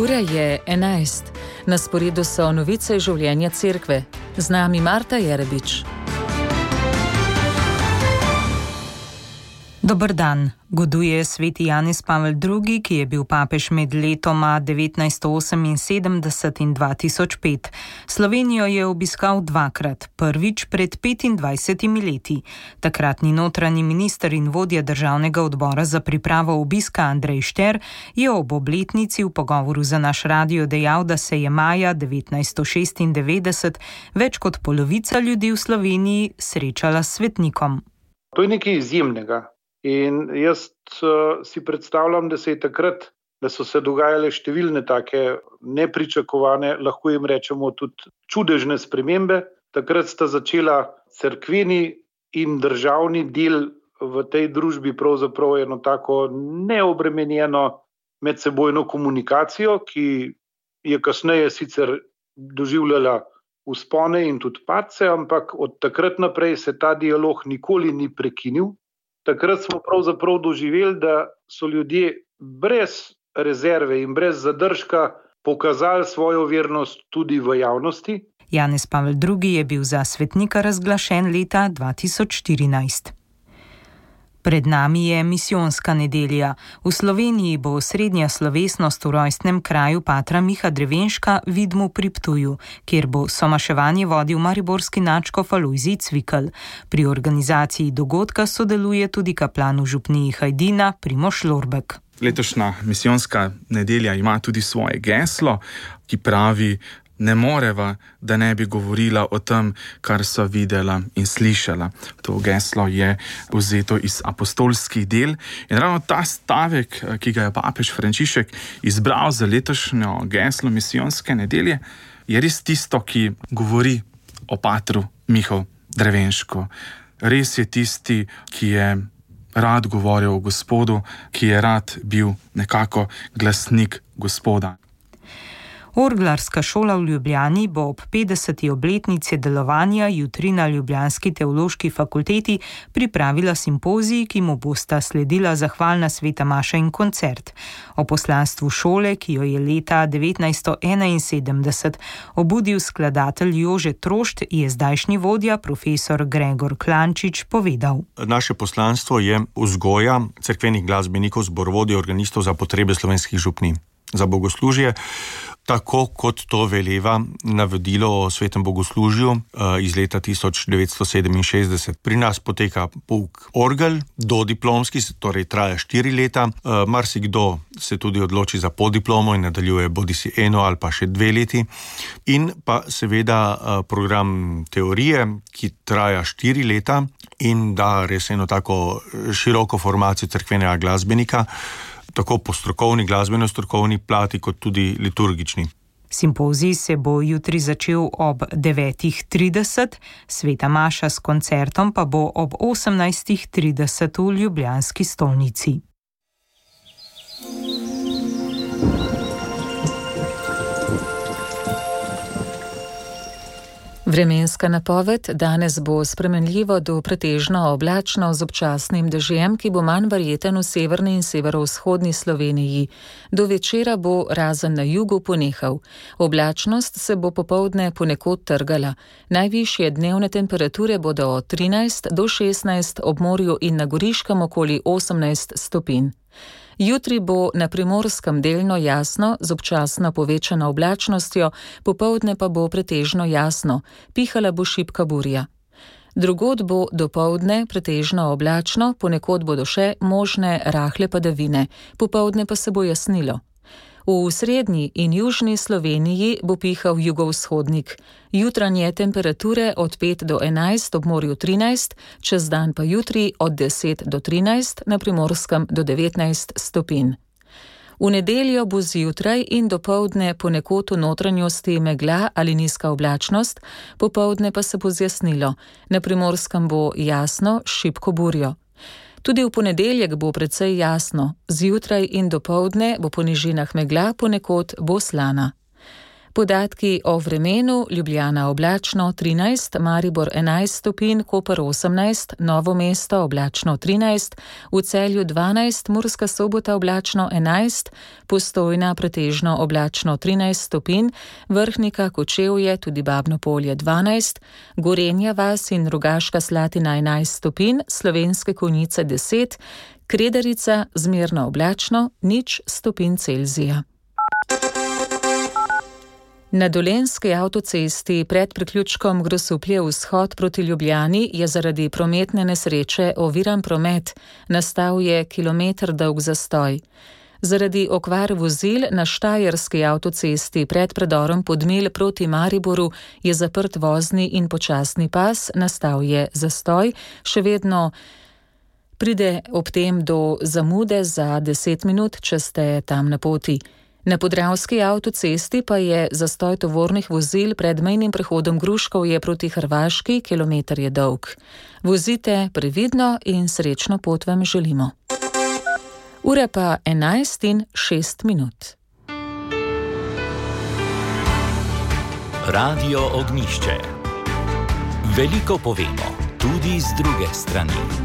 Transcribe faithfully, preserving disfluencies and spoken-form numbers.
Ura je enajst. Na sporedu so novice življenja cerkve. Z nami Marta Jerebič. Dober dan. Goduje sveti Janez Pavel drugi, ki je bil papež med letoma devetnajststo oseminsedemdeset in dva tisoč pet. Slovenijo je obiskal dvakrat, prvič pred petindvajsetimi leti. Takratni notranji minister in vodja državnega odbora za pripravo obiska Andrej Šter je ob obletnici v pogovoru za naš radio dejal, da se je maja devetnajststo šestindevetdeset več kot polovica ljudi v Sloveniji srečala s svetnikom. To je nekaj izjemnega. In jaz uh, si predstavljam, da se je takrat, da so se dogajale številne take nepričakovane, lahko jim rečemo tudi čudežne spremembe. Takrat sta začela cerkveni in državni del v tej družbi pravzaprav eno tako neobremenjeno medsebojno komunikacijo, ki je kasneje sicer doživljala vzpone in tudi padce, ampak od takrat naprej se ta dialog nikoli ni prekinil. Takrat smo pravzaprav doživeli, da so ljudje brez rezerve in brez zadržka pokazali svojo vernost tudi v javnosti. Janez Pavel drugi je bil za svetnika razglašen leta dva tisoč štirinajst. Pred nami je misijonska nedelja. V Sloveniji bo osrednja slovesnost v rojstnem kraju patra Miha Drevenška Vidmu pri Ptuju, kjer bo somaševanje vodil mariborski nadškof Alojzij Cvikl. Pri organizaciji dogodka sodeluje tudi kaplan v župniji Hajdina Primož Lorbek. Letošnja misijonska nedelja ima tudi svoje geslo, ki pravi: ne moreva, da ne bi govorila o tem, kar so videla in slišala. To geslo je vzeto iz apostolskih del in ravno ta stavek, ki ga je papež Frančišek izbral za letošnjo geslo misijonske nedelje, je res tisto, ki govori o patru Mihu Drevenšku. Res je tisti, ki je rad govoril o Gospodu, ki je rad bil nekako glasnik Gospoda. Orglarska šola v Ljubljani bo ob petdeseti obletnici delovanja jutri na ljubljanski teološki fakulteti pripravila simpozij, ki mu bosta sledila zahvalna sveta maša in koncert. O poslanstvu šole, ki jo je leta devetnajststo enainsedemdeset obudil skladatelj Jože Trošt, je zdajšnji vodja profesor Gregor Klančič povedal. Naše poslanstvo je vzgoja cerkvenih glasbenikov, zborovodij, organistov za potrebe slovenskih župnij, za bogoslužje, tako kot to veleva navodilo o svetem bogoslužju iz leta tisoč devetsto sedeminšestdeset. Pri nas poteka pouk orgel, dodiplomski, torej traja štiri leta. Marsikdo se tudi odloči za podiplomo in nadaljuje bodisi eno ali pa še dve leti. In pa seveda program teorije, ki traja štiri leta in da res eno tako široko formacijo cerkvenega glasbenika, tako po strokovni, glasbeno-strokovni plati, kot tudi liturgični. Simpozij se bo jutri začel ob devetih trideset, sveta maša s koncertom pa bo ob osemnajstih trideset v ljubljanski stolnici. Vremenska napoved: danes bo spremenljivo do pretežno oblačno z občasnim dežjem, ki bo manj verjeten v severni in severovzhodni Sloveniji. Do večera bo razen na jugu ponehal. Oblačnost se bo popoldne ponekod trgala. Najvišje dnevne temperature bodo od trinajst do šestnajst, ob morju in na Goriškem okoli osemnajst stopinj. Jutri bo na Primorskem delno jasno z občasno povečano oblačnostjo, popoldne pa bo pretežno jasno, pihala bo šibka burja. Drugod bo dopoldne pretežno oblačno, ponekod bodo še možne rahle padavine, popoldne pa se bo jasnilo. V srednji in južni Sloveniji bo pihal jugovzhodnik. Jutranje temperature od pet do enajst, ob morju trinajst, čez dan pa jutri od deset do trinajst, na Primorskem do devetnajst stopinj. V nedeljo bo zjutraj in dopoldne ponekod v notranjosti megla ali nizka oblačnost, popoldne pa se bo zjasnilo. Na Primorskem bo jasno s šibko burjo. Tudi v ponedeljek bo precej jasno, zjutraj in dopoldne bo po nižinah megla, ponekod bo slana. Podatki o vremenu: Ljubljana oblačno trinajst, Maribor enajst stopinj, Koper osemnajst, Novo mesto oblačno trinajst, v Celju dvanajst, Murska Sobota oblačno enajst, Postojna pretežno oblačno trinajst stopinj, Vrhnika, Kočevje, tudi Babno Polje dvanajst, Gorenja vas in Rogaška Slatina enajst stopinj, Slovenske Konjice deset, Kredarica zmerno oblačno nič stopinj Celzija. Na Dolenjski avtocesti pred priključkom Grosuplje vzhod proti Ljubljani je zaradi prometne nesreče oviran promet, nastal je kilometer dolg zastoj. Zaradi okvar vozil na Štajerski avtocesti pred predorom Podmilj proti Mariboru je zaprt vozni in počasni pas, nastal je zastoj, še vedno pride ob tem do zamude za deset minut, če ste tam na poti. Na Podravski avtocesti pa je zastoj tovornih vozil pred mejnim prehodom Gruškovje proti Hrvaški, kilometer je dolg. Vozite previdno in srečno pot vam želimo. Ura pa enajst in šest minut. Radio Ognjišče. Veliko povemo, tudi z druge strani.